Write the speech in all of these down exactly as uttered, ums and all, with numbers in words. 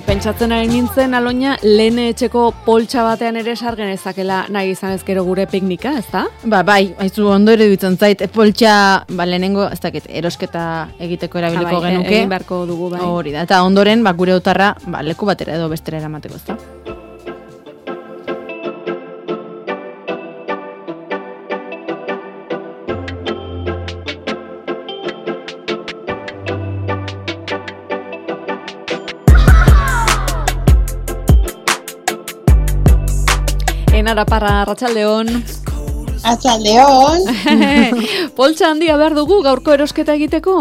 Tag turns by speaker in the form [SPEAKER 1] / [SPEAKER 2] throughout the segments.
[SPEAKER 1] pentsatzen ari nintzen, Aloña, lehen etxeko poltsa batean ere sargen ezakela nahi izan ezkero gure piknika, ez da?
[SPEAKER 2] Ba, bai, haizu ondo ere dutzen zait, poltsa, ba, lehenengo, ez dakit, erosketa egiteko erabiliko
[SPEAKER 1] ha, bai,
[SPEAKER 2] genuke.
[SPEAKER 1] Egin beharko dugu, bai.
[SPEAKER 2] Hori da, eta ondoren, ba, gure otarra, ba, leku batera edo bestera eramateko, ez da?
[SPEAKER 1] Enara Parra, Arratsaldeon.
[SPEAKER 3] Arratsaldeon.
[SPEAKER 1] Poltsa handia behar dugu gaurko erosketa egiteko?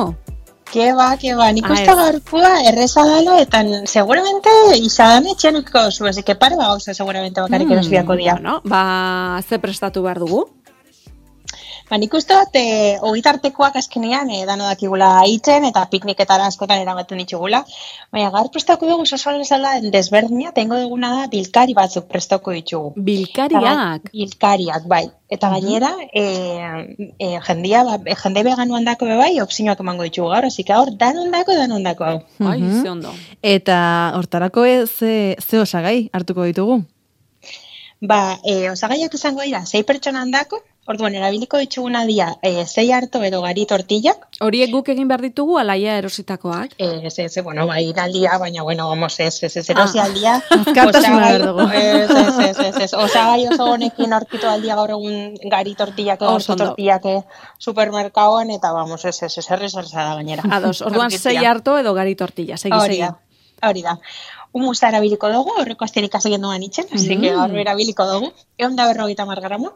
[SPEAKER 3] Ke ba, ke ba, nik uste gaurkoa erreza dela, eta seguramente izan etxenuko zu, así que pare ba gauza seguramente bakarrik mm, erosbiako dia.
[SPEAKER 1] Bueno, ba, ze prestatu behar dugu?
[SPEAKER 3] Ba, nik uste bat, e, ogitartekoak azkenean, e, dano dakigula itzen, eta pikniketara askotan eramaten ditugula. Baina, gaur prestako dugu, sosoan ezala desberdina, tengo duguna da, bilkari batzuk prestako ditugu.
[SPEAKER 1] Bilkariak?
[SPEAKER 3] Eta, bilkariak, bai. Eta gainera, e, e, jendia, ba, jende veganuan dako bebai, opzioak emango ditugu gaur, así que gaur, danon dako, danon dako hau.
[SPEAKER 1] Ai, ze ondo.
[SPEAKER 2] Eta hortarako ze, ze osagai hartuko ditugu?
[SPEAKER 3] Ba, e, osagaiak izango dira, sei pertsonan dako, orduan, erabiliko dituguna dira, e, zei harto edo gari tortillak.
[SPEAKER 1] Horiek guk egin behar ditugu, alaia erositakoak?
[SPEAKER 3] Ez, ez, bueno, bai, iraldia, baina, bueno, vamos, ez, ez, ez, erosi aldia.
[SPEAKER 2] Azkartasuna behar dugu.
[SPEAKER 3] Ez, ez, ez, ez, ez, osagai oso honekin aurkitu aldia gaur egun gari tortillak, orto tortillak supermerkaoan, eta, vamos, ez, ez, ez, errez da gainera.
[SPEAKER 1] Ados, orduan zei harto edo gari tortilla, segi, segi.
[SPEAKER 3] Hori da, hori da. Humusa erabiliko dugu, horreko asterik azegin duan itxen, mm. así que gaur erabiliko dugu. Egon da berrogeita hamar gramo,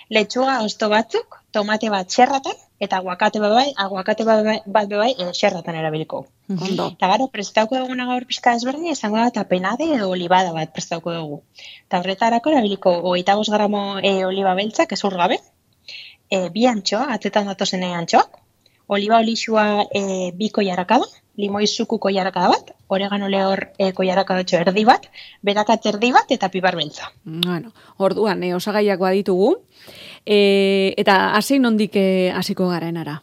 [SPEAKER 3] letxuga osto batzuk, tomate bat xerratan, eta aguakate bat bai, aguakate bat bai, bai e, xerratan erabiliko.
[SPEAKER 1] Ondo.
[SPEAKER 3] Eta gero, prestauko duguna gaur pixka ezberdin, izango da tapenade edo olibada bat prestauko dugu. Eta horretarako erabiliko hogeita bost gramo e, oliba beltzak, ezur gabe, e, bi antxoa, atzetan datozen antxoak, oliba olixua e, bi koiarakada, limoi zuku koiarakada bat, oregano lehor e, koiarakadatxo erdi bat, berakat erdi bat, eta pibar beltza.
[SPEAKER 1] Bueno, orduan, e, osagaiak baditugu, e, eta hasi nondik hasiko garenara?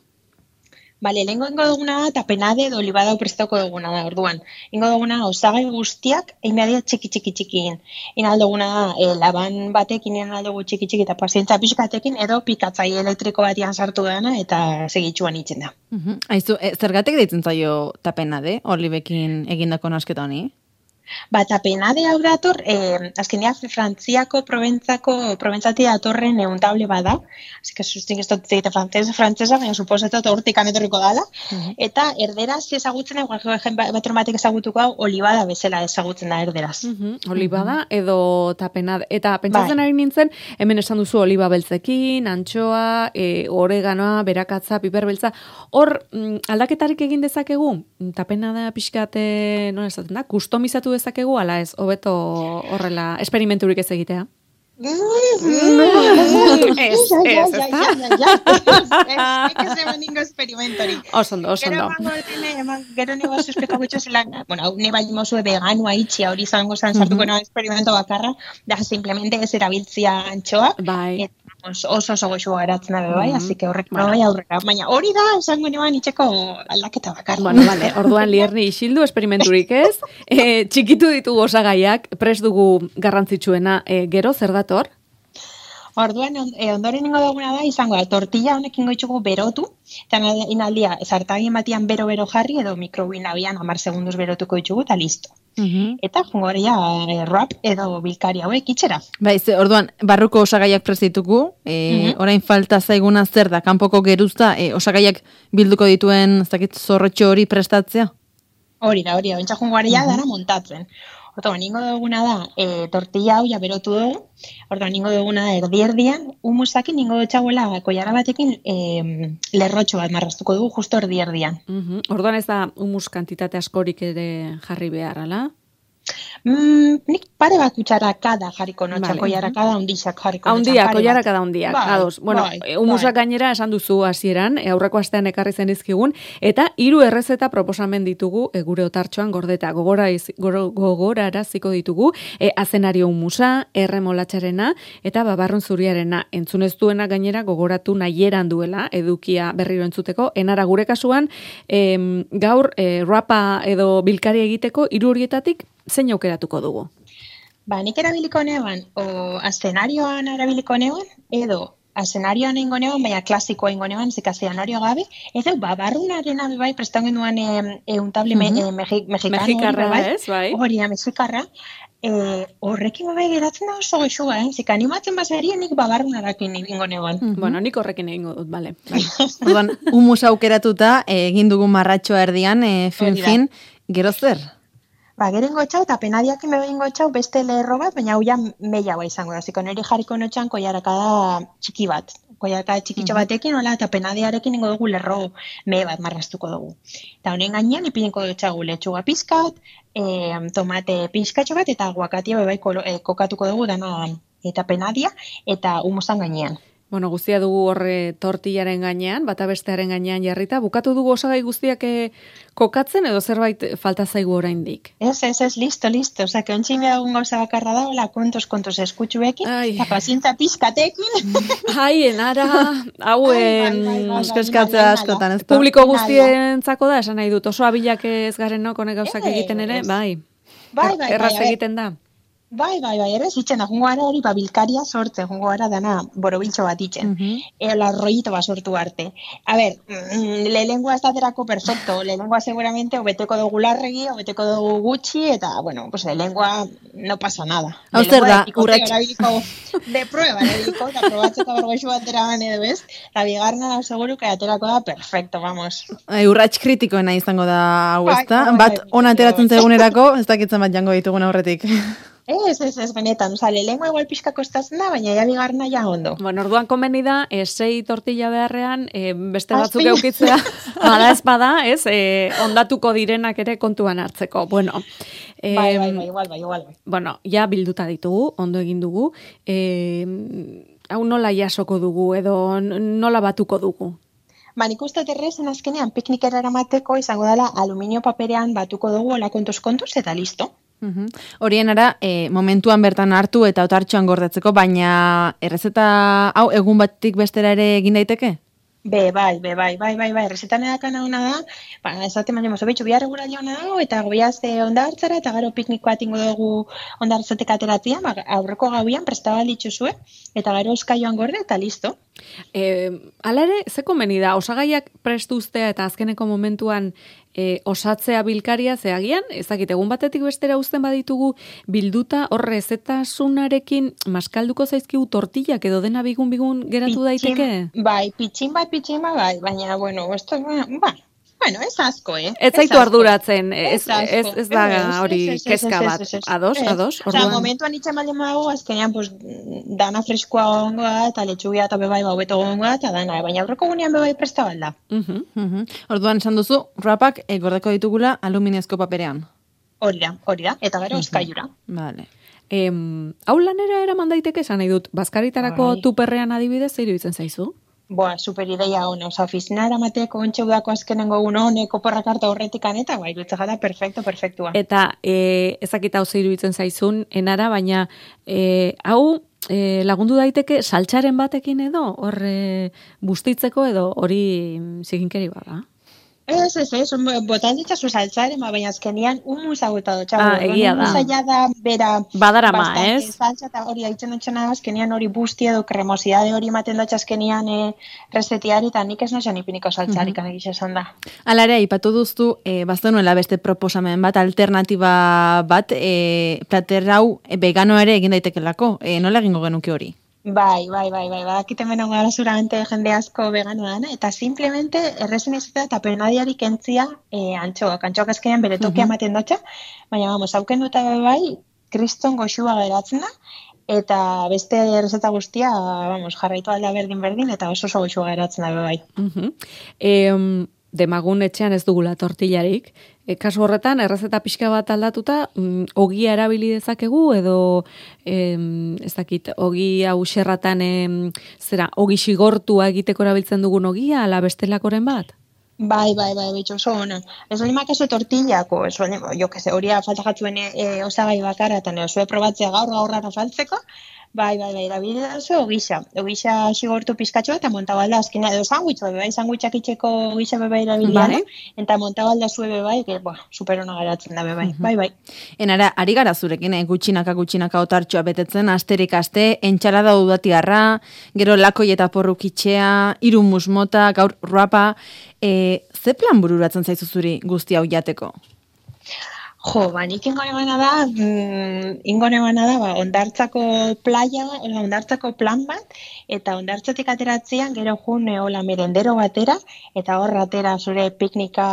[SPEAKER 3] Bale, lehenko ingo duguna da, tapenade edo olibada prestauko duguna da, orduan. Ingo duguna osagai guztiak, egin behar txiki txiki txikiin. Ina alduguna da, e, laban batekin, ina aldugu txiki txiki eta pazientza pixkatekin, edo pikatzai elektriko batian sartu dana, eta segitxuan itzen da.
[SPEAKER 2] Uh-huh. Aizu, e, zergatik deitzen zaio tapenade, olibekin egindako nasketa honi?
[SPEAKER 3] Ba, tapenade hau dator, eh, azkenean Frantziako, Proventzako, Proventzatik datorren euntable bada, así que sustik ez dut zegite frantzesa, frantzesa, baina suposatzen hortik anetorriko dala, uh-huh. Eta erderaz ezagutzen da, batron batek ezagutuko hau, olibada bezala ezagutzen da erderaz.
[SPEAKER 1] Uh-huh. Olibada edo tapenade, eta pentsatzen ari nintzen, hemen esan duzu oliba beltzekin, antxoa, e, oreganoa, berakatza, piper beltza, hor mm, aldaketarik egin dezakegu, tapenada pixkate, non esaten da, kustomizatu dezakegu, ala ez, hobeto horrela, esperimenturik ez egitea?
[SPEAKER 3] Ez, ez, ez, ez eman ningo esperimentori.
[SPEAKER 1] Osondo, osondo.
[SPEAKER 3] Gero nego suspekako zelan, bueno, ne bai mozue veganua itxia hori zango zan sartuko nago experimento bakarra, da simplemente ez erabiltzia antxoa,
[SPEAKER 1] bai.
[SPEAKER 3] Oso oso goxua eratzen dabe bai, así que horrek bueno. Bai aurrera, baina hori da esango neban itxeko aldaketa bakarra.
[SPEAKER 1] Bueno, vale, orduan Lierni isildu esperimenturik ez, e, txikitu ditugu osagaiak, prest dugu garrantzitsuena, e, gero zer dator?
[SPEAKER 3] Orduan, ondoren ingo duguna da, izango da, tortilla honek ingo itxugu berotu, eta inaldia, zartagin batian bero-bero jarri, edo mikrobinabian hamar segunduz berotuko itxugu, eta listo. Uh-huh. Eta jungoria e, rap edo bilkari hauek itxera.
[SPEAKER 2] Bai, ze, orduan, barruko osagaiak prestitugu, e, uh-huh. Orain falta zaiguna zer da, kanpoko geruzta, e, osagaiak bilduko dituen, ez dakit, zorrotxo hori prestatzea?
[SPEAKER 3] Hori da, hori da, bentsa jungoria uh-huh. Dara montatzen. Orduan, ningo duguna da, e, tortilla hau ja berotu dugu, orduan, ningo duguna da, erdi-erdian, humusakin ningo dutxagoela koiara batekin e, lerrotxo bat marrastuko dugu, justo erdi-erdian.
[SPEAKER 1] Uh-huh. Orduan ez da humus kantitate askorik ere jarri behar, ala?
[SPEAKER 3] Mm, nik pare bat kutxarakada jarriko notxa, vale. Koiarakada hundixak jarriko notxa.
[SPEAKER 1] Hundia, koiarakada hundiak, bai, ados. Bueno, bai, humusak bai. Gainera esan duzu hasieran, e, aurreko astean ekarri zen izkigun, eta hiru errezeta proposamen ditugu e, gure otartxoan gordeta. Gogora iz, goro, gogoraraziko ditugu, e, azenario humusa, erremolatxarena, eta babarrun zuriarena. Entzunez duena gainera gogoratu nahieran duela, edukia berriro entzuteko. Enara gure kasuan, e, gaur e, rapa edo bilkari egiteko hiru horietatik zein aukeratuko dugu?
[SPEAKER 3] Ba, nik erabiliko neban, o azenarioan erabiliko neban, edo azenarioan ingo neban, baina klasikoa ingo neban, zika zenario gabe, edo, ba, barrunarena bai, prestan genduan e, e, un table
[SPEAKER 1] Mhm.
[SPEAKER 3] me, e, mexi, mexikano
[SPEAKER 1] Mexikarra,
[SPEAKER 3] hori, bai,
[SPEAKER 1] ez, bai?
[SPEAKER 3] hori da, mexikarra, e, horrekin bai geratzen da oso goxua, eh? Zika animatzen bazari, nik babarrunarakin ingo neban.
[SPEAKER 1] Mhm. Bueno, nik horrekin egingo dut, bale. Bai.
[SPEAKER 2] Orduan, humus aukeratuta, eh, egin dugu marratxoa erdian, eh, fin,
[SPEAKER 3] Hori da.
[SPEAKER 2] fin, gero zer?
[SPEAKER 3] Ba, gero ingo txau, eta penadiak ime ingo txau beste lerro bat, baina hau ja meia ba izango da. Ziko niri jarriko notxan koiarakada txiki bat. Koiarakada txikitxo batekin, hola, eta penadiarekin ingo dugu lerro me bat marraztuko dugu. Eta honen gainean ipiniko dutxagu letxuga pizkat, e, tomate pizkatxo bat, eta aguakatia bebai kolo, e, kokatuko dugu dana eta penadia, eta humusan gainean.
[SPEAKER 1] Bueno, guztia dugu horre tortillaren gainean, bata bestearen gainean jarrita, bukatu dugu osagai guztiak eh, kokatzen edo zerbait falta zaigu oraindik.
[SPEAKER 3] Ez, ez, ez, listo, listo. Osa, que ontsin behagun gauza bakarra da, hola, kontos, kontos eskutxuekin,
[SPEAKER 1] Ai.
[SPEAKER 3] eta pazientza pizkatekin.
[SPEAKER 1] Ai, enara, hauen...
[SPEAKER 2] Eskaskatzea askotan, ez da?
[SPEAKER 1] Publiko guztientzako da, esan nahi dut, oso abilak ez garen no, konek gauzak
[SPEAKER 3] Ez.
[SPEAKER 1] egiten ere, bai.
[SPEAKER 3] Bai, bai, bai,
[SPEAKER 1] Erraz
[SPEAKER 3] a ber.
[SPEAKER 1] egiten da.
[SPEAKER 3] Bai, bai, bai, ere, zitzen da, jungo gara hori, ba, bilkaria sortzen, jungo gara dana borobiltxo bat itzen.
[SPEAKER 2] Mhm.
[SPEAKER 3] Eola, rollito bat sortu arte. A ber, mm, lehengoa ez daterako perfecto, lehengoa seguramente obeteko dugu larregi, obeteko dugu gutxi, eta, bueno, pues lehengoa no pasa nada.
[SPEAKER 2] Hau zer da, urrats-
[SPEAKER 3] urratx... De prueba, erabiliko, eta probatzeko bergoixu batera bane edo bez, la bigarna da seguru que aterako da perfecto, vamos.
[SPEAKER 2] E, urrats kritikoena izango da hau,
[SPEAKER 3] Bai,
[SPEAKER 2] ezta?
[SPEAKER 3] bai,
[SPEAKER 2] Bat
[SPEAKER 3] bai,
[SPEAKER 2] ona ateratzen
[SPEAKER 3] bai.
[SPEAKER 2] zaigunerako, ez dakitzen bat jango ditugun aurretik.
[SPEAKER 3] Ez, ez, ez, benetan, oza, lehengoa igual pixka kostatzen da, baina ja bigarna ja ondo.
[SPEAKER 1] Bueno, orduan komeni da, e, sei tortilla beharrean, e, beste
[SPEAKER 3] Ah,
[SPEAKER 1] batzuk
[SPEAKER 3] sí.
[SPEAKER 1] eukitzea, bada ez bada, ez, e, ondatuko direnak ere kontuan hartzeko. Bueno, e,
[SPEAKER 3] Bai, bai, bai, igual, bai, igual, bai.
[SPEAKER 1] bueno, ja bilduta ditugu, ondo egin dugu, e, hau nola jasoko dugu, edo n- nola batuko dugu?
[SPEAKER 3] Ba, nik uste terrezen azkenean piknikera eramateko izango dela aluminio paperean batuko dugu hola kontuz-kontuz eta listo.
[SPEAKER 2] Mhm. Horien ara, e, momentuan bertan hartu eta otartxoan gordetzeko, baina errezeta hau egun batik bestera ere egin daiteke?
[SPEAKER 3] Be, bai, be, bai, bai, bai, bai, resetan edakana hona da, ba, esaten baino mozo betxu, bihar eguraldi hona dago, eta goiaz e, onda hartzara, eta gero piknik bat ingo dugu onda hartzatek ateratzea, ba, aurreko gauian prestabalitxu zuen, eta gero euskaioan gorde, eta listo.
[SPEAKER 1] E, ala ere, ze komeni da, osagaiak prestu uztea eta azkeneko momentuan e, osatzea bilkaria, ze agian, ezakit, egun batetik bestera uzten baditugu, bilduta horre zetasunarekin maskalduko zaizkigu tortillak edo dena bigun-bigun geratu
[SPEAKER 3] Pitxin-
[SPEAKER 1] daiteke?
[SPEAKER 3] Bai, pitxin bat, pitxin bat, bai, baina, bueno, esto, ba, bueno, ez asko, eh?
[SPEAKER 1] Ez zaitu
[SPEAKER 3] asko.
[SPEAKER 1] arduratzen, ez,
[SPEAKER 3] asko.
[SPEAKER 1] ez, ez da
[SPEAKER 3] Ez,
[SPEAKER 1] hori
[SPEAKER 3] ez, ez,
[SPEAKER 1] kezka
[SPEAKER 3] ez, ez,
[SPEAKER 1] bat.
[SPEAKER 3] ez, ez.
[SPEAKER 1] Ados,
[SPEAKER 3] Ez.
[SPEAKER 1] ados,
[SPEAKER 3] Osea,
[SPEAKER 1] orduan.
[SPEAKER 3] momentuan itxan baldin badago, azkenean, pues, dana freskoa gongo da, eta letxugia eta bebai baubeto gongo da, eta dana, baina aurreko gunean bebai presta balda.
[SPEAKER 1] Mhm.
[SPEAKER 2] Mhm. Orduan esan duzu, rapak e, gordeko ditugula aluminiozko paperean.
[SPEAKER 3] Hori da, hori da, eta gero euskaiura.
[SPEAKER 2] Vale.
[SPEAKER 1] Em, hau lanera eraman daiteke, esan nahi dut, bazkaritarako
[SPEAKER 3] Bai.
[SPEAKER 1] tuperrean adibidez, zer iruditzen zaizu?
[SPEAKER 3] Boa, super ideia hona, oza, oficina eramateko ontxe udako azkenengo egun honek oporrak hartu aurretik aneta, bai, dutze jada, perfecto, perfectua.
[SPEAKER 1] Eta e, ezakita hau zer iruditzen zaizun, enara, baina e, hau e, lagundu daiteke saltxaren batekin edo, horre bustitzeko edo hori mm, ziginkeri bada.
[SPEAKER 3] Ez, ez, ez, botan ditzazu saltzaren, baina azkenian humusa bota dutxago.
[SPEAKER 1] Ah, egia da.
[SPEAKER 3] Humusa ja da, bera,
[SPEAKER 1] Badarama,
[SPEAKER 3] bastante
[SPEAKER 1] ez?
[SPEAKER 3] saltza, eta hori haitzen dutxena, azkenian hori busti edo kremosidade hori ematen dutxa azkenian e, resetiari, eta nik ez noizan ipiniko saltzarik mm -hmm. esan da.
[SPEAKER 2] Hala ere, aipatu duztu, e, baztenuela beste proposamen bat, alternatiba bat, e, plater hau e, vegano ere egin daitekelako. E, nola egingo genuke hori?
[SPEAKER 3] Bai, bai, bai, bai, badakiten beno gara seguramente jende asko vegano dana, eta simplemente errezen izatea eta penadiari kentzia e, antxoak. Antxoak azkenean bere tokia ematen dutxa, baina, vamos, hauken duta bai, kriston goxua geratzen da, eta beste errezeta guztia, vamos, jarraitu alda berdin-berdin, eta oso oso goxua geratzen da bai.
[SPEAKER 1] Mhm. Em, demagun etxean ez dugula tortillarik. E, kasu horretan, errezeta pixka bat aldatuta, mm, ogia erabili dezakegu, edo, em, ez dakit, ogi hau xerratan, em, zera, ogi xigortua egiteko erabiltzen dugun ogia, ala bestelakoren bat?
[SPEAKER 3] Bai, bai, bai, bitxo, oso ona. Ez hori makaso tortillako, ez hori, jo, que se, hori falta jatzuen e, osagai bakarra, eta ne, osue probatzea gaur gaurrara faltzeko, Bai, bai, bai, erabili dazu ogisa. Ogisa xigortu pizkatxoa eta montabalda azkena edo sandwich bai, sandwichak itzeko ogisa beba erabili bai. Eta montabalda zue bai, que ba, super ona geratzen da bai. Bai, bai.
[SPEAKER 2] Enara, ari gara zurekin, eh? gutxinaka gutxinaka otartxoa betetzen, asterik aste, entxalada udatiarra, gero lakoi eta porrukitxea, hiru musmota, gaur ruapa, e, ze plan bururatzen zaizu zuri guzti hau jateko?
[SPEAKER 3] Jo, ba, nik ingone bana da, mm, ingone bana da, ba, ondartzako playa, ondartzako plan bat, eta ondartzatik ateratzean, gero jun, hola, merendero batera, eta hor atera zure piknika,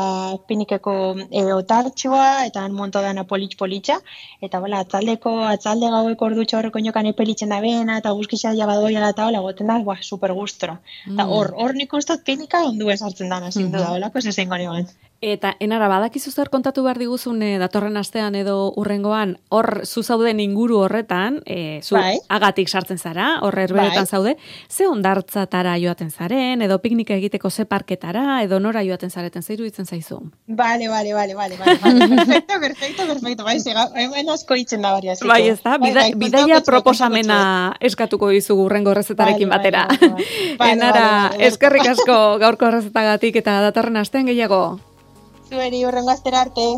[SPEAKER 3] piknikeko e, otartxoa, eta han monto dana politx-politxa, eta hola, atzaldeko, atzalde gaueko ordutxo horreko inokan epelitzen da bena, eta guzkisa jabadoia eta hola, goten da, ba, super gustora. Eta hor, hor nik ustot piknika ondu esartzen dana, zindu da, hola, pues ez ingone ban.
[SPEAKER 1] Eta, enara, badakizu zer kontatu behar diguzun e, datorren astean edo urrengoan, hor zu zauden inguru horretan, e, zu bai. agatik sartzen zara, hor herberetan bai. zaude, ze ondartzatara joaten zaren, edo piknika egiteko ze parketara, edo nora joaten zareten, zeiru ditzen zaizu?
[SPEAKER 3] Bale, bale, bale, bale, bale, perfecto, perfecto, perfecto, bai, zega, hemen asko itzen da baria.
[SPEAKER 1] Bai, ez da, bida, bai, bai, bidaia proposamena eskatuko dizugu urrengo horrezetarekin bai, batera. Bai, bai, bai, bai. Enara, bai, bai, bai. eskerrik asko gaurko horrezetagatik eta datorren astean gehiago.
[SPEAKER 3] Zueri, urrengo astera arte.